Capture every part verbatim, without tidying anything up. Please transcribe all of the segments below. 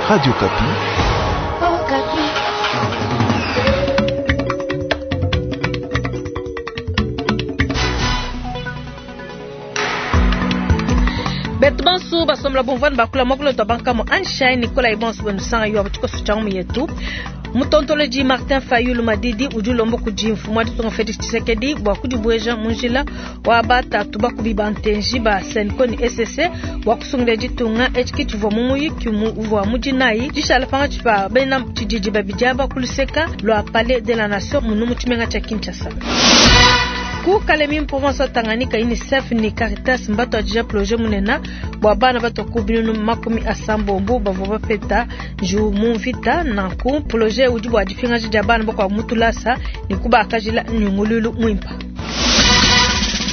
Radio Okapi. Betu bansu basomla bomvani bakula mwakulo twa bankamo Anshine Nicolas Ibonso bwenu sanga yo abuchikoso changu yetu. Mutontoloji Martin Fayulu Madidi udi ulomba kudi mfumu wa ditunga Felix Tshisekedi bua kudibueja mu njila wa batatu bakubi ba ntenji ba Senco ne E C C bua kusungila ditunga etshi tshivua mu muyiki uvua mu dinayi dishala pangatshi pa bena tshididi babidi aba ku luseka lua Palais de la Nation munu mu tshimenga tshia Kinshasa. Ku Kalemi province wa Tanganyika, UNICEF ni Caritas mbatuadija projet munena bua bana batua ku binunu makumi asambombo bavua bapeta njiwu mu mvita. Nanku projet udi bua dipingaja dia bana bakuabu mu tulasa ne kubakajila nyungululu muimpa.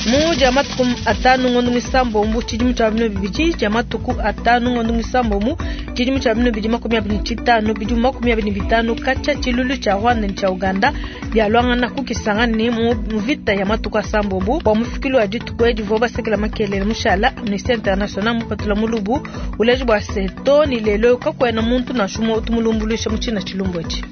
Mu dia matuku atanu ngondo misambombo tshidimu tshia bino bibidi dia matuku atanu ngondo misambombo tshidimu tshia bino bibidi makumi abidi ne tshitanu bidimu makumi abidi ne bitanu katshia tshilulu tshia Rwanda ne tshia Uganda bialuangana ku Kisangani ne mu mvita ya matuku asambombo bua mufikilu wa dituku edi bavua basekela makelele mushala Amnesty International mupatula mulubu uleji bua se to ni lelo kakuena muntu nansha umue utu mulumbuluisha mu tshina tshilumbu etshi.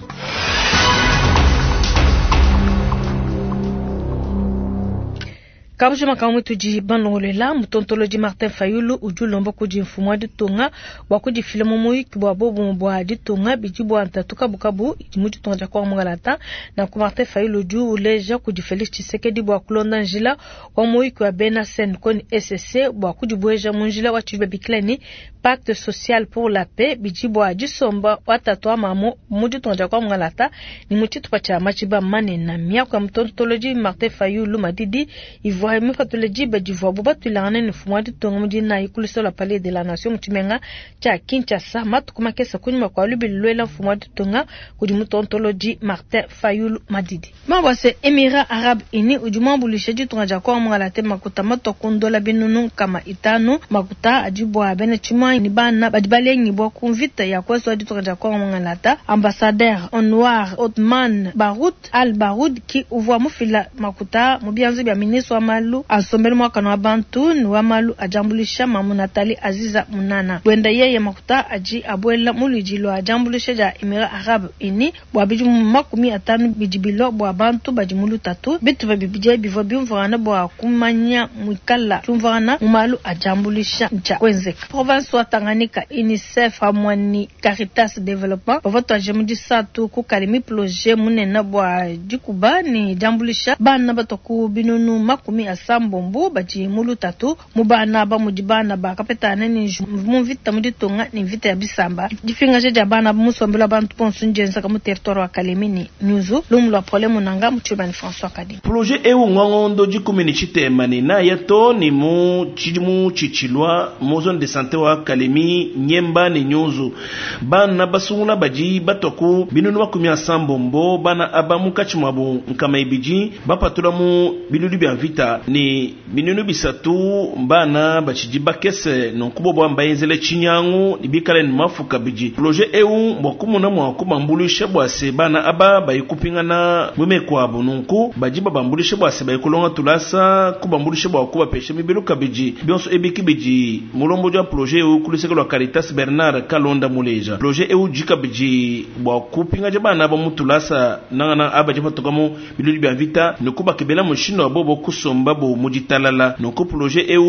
Kabujima kamwe tudi balongolela mutontolodi Martin Fayulu udi ulomba kudi mfumu wa ditunga bua kudifila mu muyiki bua bobumue bua ditunga bidi bua ntatu kabukabu idi mu ditunga dia Kongo Mungalata. Nanku Martin Fayulu udi uleja kudi Felix Tshisekedi bua kulonda njila wa muyiki wa bena Senco ne E C C bua kudibueja mu njila wa tshidibu babikila ne Pacte social pour la paix bidi bua disomba wa tatu wa mamu mu ditunga dia Kongo Mungalata ne mu tshitupa tshia Matshiba manene. Miaku ya mutontolodi Martin Fayulu Madidi ivua mipatule diba divuabu batuilangane ne mfumu wa ditunga mu dinayi ku luseke lua Palais de la Nation mu tshimenga tshia Kinshasa matuku makese kunyima kua lubili luela mfumu wa ditunga kudi mutontolodi Martin Fayulu Madidi. Mabwase Emirats Arabes Unis udi muambuluishe ditunga dia Kongo Mungalata makuta matua ku ndola binunu nkama itanu makuta adi bua bena tshimuangi ne bana badi balengibua ku mvita ya kuesu wa ditunga dia Kongo Mungalata. Ambassadeur Anwar Othman Baroud Al Baroud ki uvua mufila makuta mu bianza bia ministre wa malu a nsombelu muakane wa bantu ne wa malu a diambuluisha Mamu Nathalie Aziza Munana. Buenda yeye makuta adi abuela mu luidi lua diambuluisha dia Emirats Arabes Unis bua bidimu makumi atanu bidi bilua bua bantu badi mu lutatu. Bitupa bibidi bivua biumvuangana bua kumanya muikala diumvuangana mu malu a diambuluisha ntshia kuenzeka. Province wa Tanganyika, UNICEF pamue ne Caritas Development bavua tuaje mu disatu ku Kalemi projet munene bua dikuba ne diambuluisha bana batua ku binunu makumi asambombo badi mu lutatu mu bana ba mudi bana bakapetana ne nju mu mvita mu ditunga ne mvita ya bisamba. Dipingaja dia bana mu nsombelu wa bantu bonso ndienzeka mu territoire wa Kalemi ne Nyunzu. Lumu lua Pole Munanga mu Tshibani François Kadi. Projet eu ngwangondo dikumi ne tshitema ne naya to ne mu tshidimu tshitshilua mu zone de santé wa Kalemi, Nyemba ne Nyunzu. Bana basungula badi batua ku binunu makumi asambombo bana aba munkatshi muabu nkama ibidi bapatula mu bilulu bia mvita ne binunu bisatu bana batshidi bakese nonku bobo mbayenzele tshinyangu ne bikale ne mafu kabidi. Projet eu mbua kumuna mua kubambuluisha bua se bana aba bayikupingana mu meku abu nunku badi babambuluisha bua se bayikulonga tulasa kubambuluisha bua kubapesha mibelu kabidi. Bionso ebi kibidi mulombodi wa projet eu ku luseke lua Caritas Bernard Kalonda Muleja. Projet eu udi kabidi bua kupingaja bana aba mu tulasa nangana aba badi patuka mu bilulu bia mvita ne kubakebela mushindu wa bobo kusomba bo mu ditalala. Nunku projet eu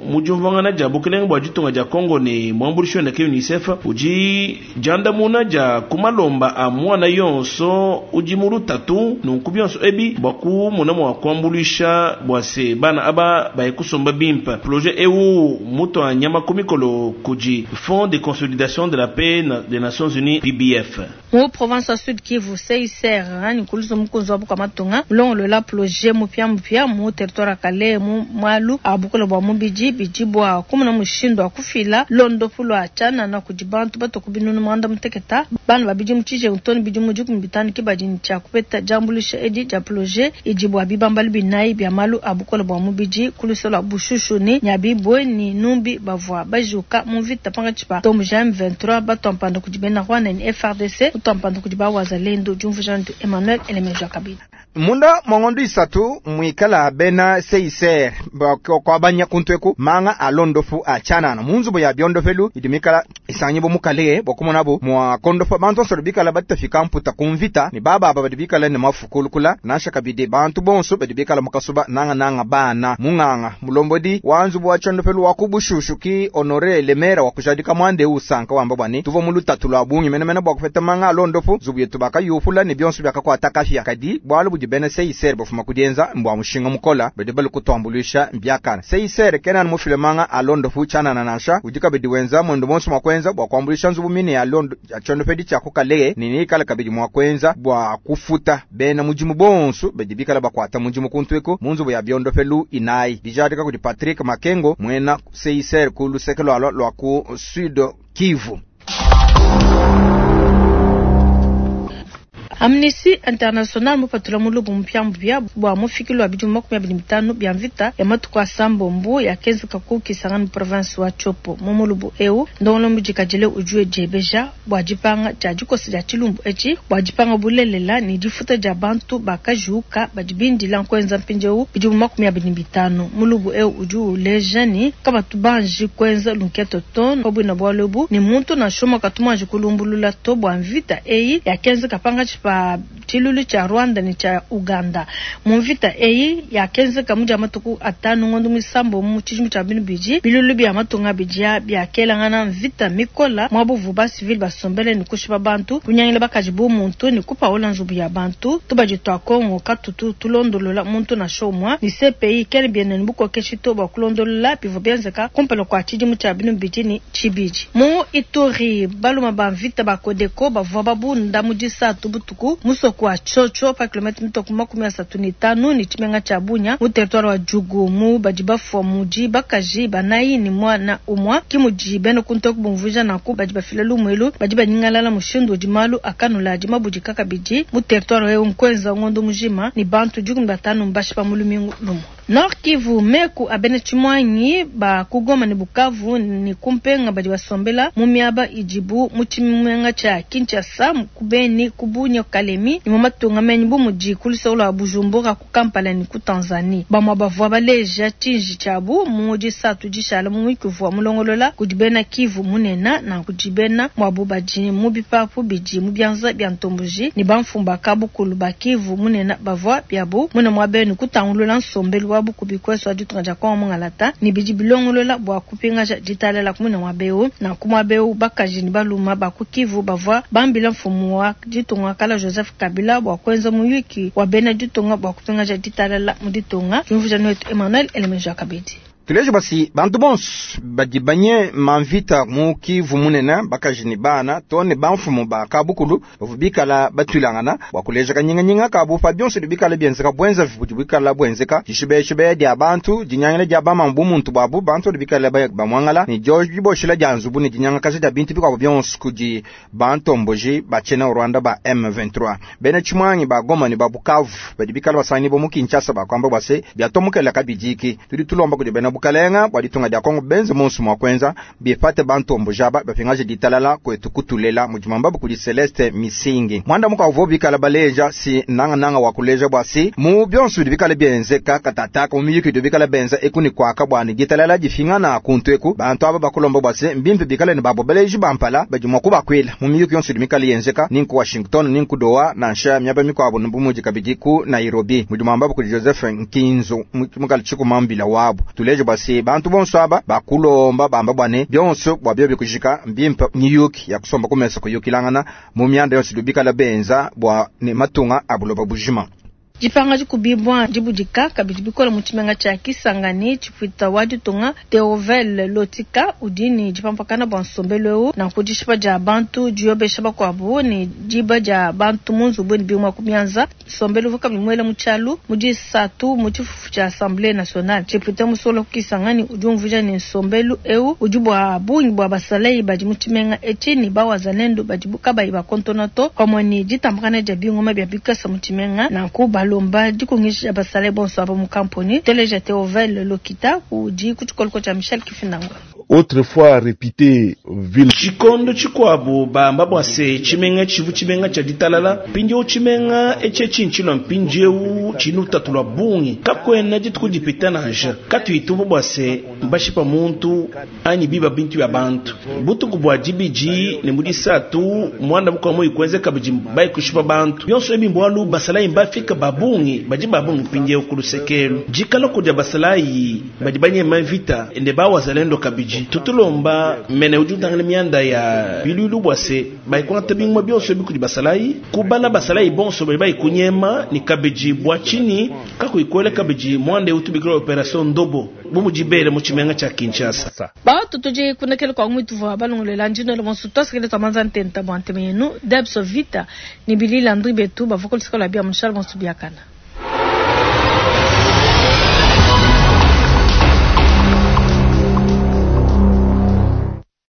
mu diumvuangana dia bukelenge bua ditunga dia Congo ne muambuluishi wende ke UNICEF udi diandamuna dia kumalomba a muana yonso udi mu lutatu. Nunku bionso ebi bua kumona mua kuambuluisha bua se bana aba baye kusomba bimpe. Projet eu mutua nyama ku mikolo kudi Fonds de consolidation de la paix des Nations Unies P B F. Mu province ya Sud Kivu, C I C R, ani kuluzo mukunzi wa buka matunga, mulongolola projet mupya mupya mu territoire ya Kalehe mu mwalu a bukole bua mubidi bidi bua kumona mushindu wa kufila londopu lua tshianana kudi bantu batua ku binunu muanda muteketa. Bana babidi mu tshije ntoni bidi mu dikumi bitanu ke badi ne tshia kupeta diambuluisha edi dia projet idi bua bibambalu binayi bia malu a bukole bua mubidi ku luseke lua Bushushu ne Nyabibwe ne Numbi bavua bajuka mu mvita pankatshi pa Tombo J M vingt-trois batua mpanda kudi bena Rwanda ne F R D C, batua mpanda kudi ba Wazalendo. Diumvuija ndi Emmanuel Elemeja Kabila. Munda mwangondo isatu mwikala bena C I C R kwabanya kuntweku manga alondofu achanana munzubo ya biondofelu idimikala isanyibo mukale bokumonabo mwa kondofa bantu nsoro bikala batafika mputa kumvita ni baba aba badibikala ne mafukulukula nasha kabide bantu bonso badibikala mukasuba nanga nanga bana munganga mulombodi wanzubo wa chondofelu wakubushushu ki Honore Lemera wakujadika mwande usanka wamba bwani tuvo mulutatu lwa bungi menemene bwa kufeta manga alondofu zubu yetu baka yufula ni bionso byakakwata kafya kadi bwalu budi bena C I C R bafuma kudienza mbwa mushinga mukola bede balu kutuambulisha mbyakana C I C R kenan mufile manga alondofu chana na nasha udika bedi wenza mwendo monso mwakwenza bwa kuambulisha nzubu mine ya londo ya chondofedi cha kukaleye nini kala kabidi mwakwenza bwa kufuta bena mujimu bonso bedi bikala bakwata mujimu kuntweko munzubu ya biondofelu inai bijadika kudi Patrick Makengo mwena C I C R ku lusekelo alwa lwa ku Sud Kivu. Amnesty International mupatula mulubu mpya mpya bwa mufikilo wa bidimu makumi abiri mitano bya mvita ya matuku a sambombo ya kenzi kaku Kisangani province wa Tshopo mu mulubu eu ndongolo mujikajile ujue jebeja bwa jipanga ja jikosi ja chilumbu echi bwa jipanga bulelela ni difuta ja bantu bakajuka badibindila nkwenza mpinjeu bidimu makumi abiri mitano mulubu eu uju uleja ni kabatu banji kwenza lunketo ton obwina bwa lubu ni muntu na shoma katumanji kulumbulula to bwa mvita eyi ya kenzi kapanga chipa chilulu cha Rwanda ni cha Uganda mumvita eyi ya kenze kamuja matuku atanu ngondo misambo mu chijimu cha binu biji bilulu bya matunga bijia bya kelangana mvita mikola mwabuvu ba civil basombele ni kushiba bantu kunyangila bakajibu muntu ni kupaola nzubu ya bantu tubaji twa Kongo katutu tulondolola muntu na shomwa ni C P I kele biene nbuko keshito ba kulondolola pivo byenzeka kumpelo kwa chijimu cha binu biji ni chibiji mu Ituri baluma ba mvita ba Kodeko bavua babunda mujisa tubutuku musoko wa Chocho pa kilomita mitoku makumi asatu ni tano ni chimenga cha Bunya mu territoire wa Jugu mu badibafu muji bakaji banayi ni mwana umwa kimuji beno kunto kubumvuja na ku badibafila lumwelu badibanyingalala mushindu dimalu akanula dimabuji kakabiji mu territoire wa Nkwenza ngondo mujima ni bantu jugu batano mbashi pa mulumingu lumo Nord Kivu meku abene chimwanyi ba kugoma ni Bukavu ni kumpenga badi basombela mu miaba ijibu mu chimenga cha Kinshasa kubeni kubunya Kalemi ni mumatunga menyi bu muji kulisa ula Bujumbura ku Kampala ni ku Tanzania bamwa bavua baleja chinji chabu muji satu jishala mu mwikuvua mulongolola kudibena Kivu munena na kudibena mwabu baji mu bipapu biji mu byanza bya ntomboji ni bamfumba kabukulu ba Kivu munena bavua byabu muna mwabenu kutangulula nsombelu wabu kubikweso aditunga ja kwa mungalata ni biji bilongolola bwa kupinga ja jitalela kumuna mwabeu na kumwabeu bakaji ni baluma ba ku Kivu bavua bambila mfumu wa ditunga kala Joseph Kabila bwa kwenza muyuki wa bena ditunga bwa kupinga ja jitalela mu ditunga kimvuja netu Emmanuel Elemeja Kabedi. Tulejo basi bantu bonso badibanye mamvita mu Kivu munene bakaji ni bana tone bamfumu ba kabukulu bavubikala batulangana bwakuleja kanyinganyinga kabu pa byonso dibikala byenzeka bwenza bikala bwenzeka jishibeshibe dia bantu jinyangile dia bamambu muntu bwabu bantu dibikala bamwangala ni George Boshila dia nzubu ni jinyanga kazi dia bintu bikwa byonso kudi bantomboji bachena Rwanda ba M vingt-trois bene chimwangi ba Goma ni ba Bukavu badibikala basani bo mu Kinshasa ba kwamba bwase byatomukela kabidiki tudi tulomba kudi bena bukalenga bwa ditunga dia Kongo benze monsu mwa kwenza bifate bantombo jaba bapingaje ditalala kwetu kutulela mujimamba kudi Celeste Misingi mwanda muka uvo bikala baleja si nanga nanga wakuleja bwasi mu byonsu bikala byenzeka katata ko miyiki bikala benza ekuni kwaka bwani ditalala difinga na kuntweku bantu aba bakulomba bwasi mbimpe bikala ni babo baleji bampala bajimwa kubakwila mu miyiki yonsu bikala yenzeka ninku Washington ninku Doha na nsha myaba mikwabo nbumuji kabidi ku Nairobi mujimamba kudi Joseph Nkinzo mukali chikumambila wabo tuleje basi bantu bonso aba bakulomba bamba bwane byonso bwabyo bikujika mbimpa nyiyuki ya kusomba kumesa kuyukilangana mu myanda yonse dubikala benza bwa ne matunga abuloba bujima Jipanga jikubibwa jibudika kabidi bikola mu tshimenga tshia Kisangani tshipwita wa ditunga Theovel Lotika udini jipampakana bwa nsombelu eu na kudishipa dia bantu diobesha bakuabu ni diba dia bantu mu nzubu ni bimwa kumianza nsombelu vuka bimwele mu tshialu mu disatu mu tshifufu tshia Assemblée nationale tshipwita musolo Kisangani udi umvuja ni nsombelu eu udi bua bungi bua basalei badi mu tshimenga etshi ni bawazalendo badi kabayi bakontona to pamue ni ditambakana dia bingoma bia bikasa mu tshimenga nanku balo lomba dikungisha basale bonso aba mu kampuni teleja Theovel Lokita udi ku tshikoloko tshia Michel Kifinangwa. Autrefois réputée ville Tshikondo tshikuabu bamba bua se tshimenga tshivu tshimenga tshia ditalala mpindieu tshimenga etshi tshintshilua mpindieu tshini lutatu lua bungi kakuena dituku dipita nansha katuyitumva bua se mbashipa muntu anyi biba bintu bya bantu butuku bua dibidi ne mu disatu muanda mukuabu muyi kuenze kabidi bayi kushipa bantu bionso ebi mbualu basalayi mbafika ba bungi badi ba bungi mpindieu ku lusekelu dikala kudia basalayi badi banyema mvita ne bawazalendo kabidi tutulomba mene udi utangila mianda ya bilulu bua se bayikwata binguma bionso ebi kudi basalayi kubala basalayi bonso badi bayikunyema ni kabidi bua tshini kakuyikwela kabidi muanda eu tubikila operation ndobo bu mudibele mu tshimenga tshia Kinshasa Batu tudi kunekele kwa mwitu vwa balongolela ndino le monsu twasikele twamanza ntenta bwa nteme yenu Debso Vita ni Billy Landry betu bavua kulusika lwa bia munshala monsu biakana.